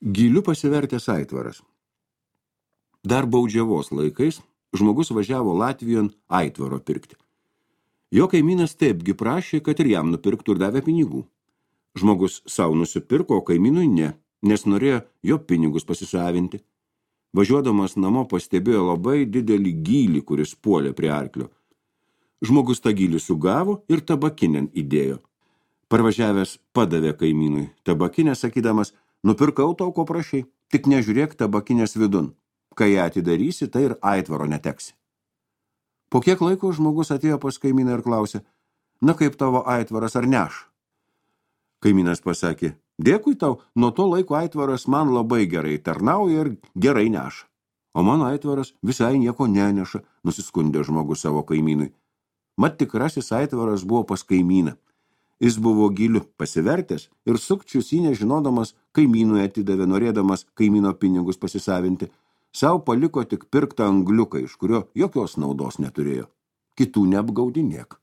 Gyliu pasivertęs aitvaras. Dar baudžiavos laikais žmogus važiavo Latvijon aitvaro pirkti. Jo kaimynas taipgi prašė, kad ir jam nupirktų ir davė pinigų. Žmogus savo nusipirko, o kaimynui ne, nes norėjo jo pinigus pasisavinti. Važiuodamas namo pastebėjo labai didelį gylį, kuris puolė prie arklio. Žmogus tą gylį sugavo ir tabakinėn įdėjo. Parvažiavęs padavė kaimynui tabakinę, sakydamas, nupirkau tau, ko prašai, tik nežiūrėk tabakinės vidun. Kai ją atidarysi, tai ir aitvaro neteksi. Po kiek laiko žmogus atėjo pas kaimyną ir klausė, na kaip tavo aitvaras ar neš? Kaimynas pasakė, dėkui tau, nuo to laiko aitvaras man labai gerai tarnauja ir gerai neša. O mano aitvaras visai nieko neneša, nusiskundė žmogus savo kaimynui. Mat tikrasis aitvaras buvo pas kaimyną. Jis buvo gyliu pasivertęs ir sukčius jį nežinodamas kaimynui atidavė, norėdamas kaimyno pinigus pasisavinti. Sau paliko tik pirktą angliuką, iš kurio jokios naudos neturėjo. Kitų neapgaudinėk.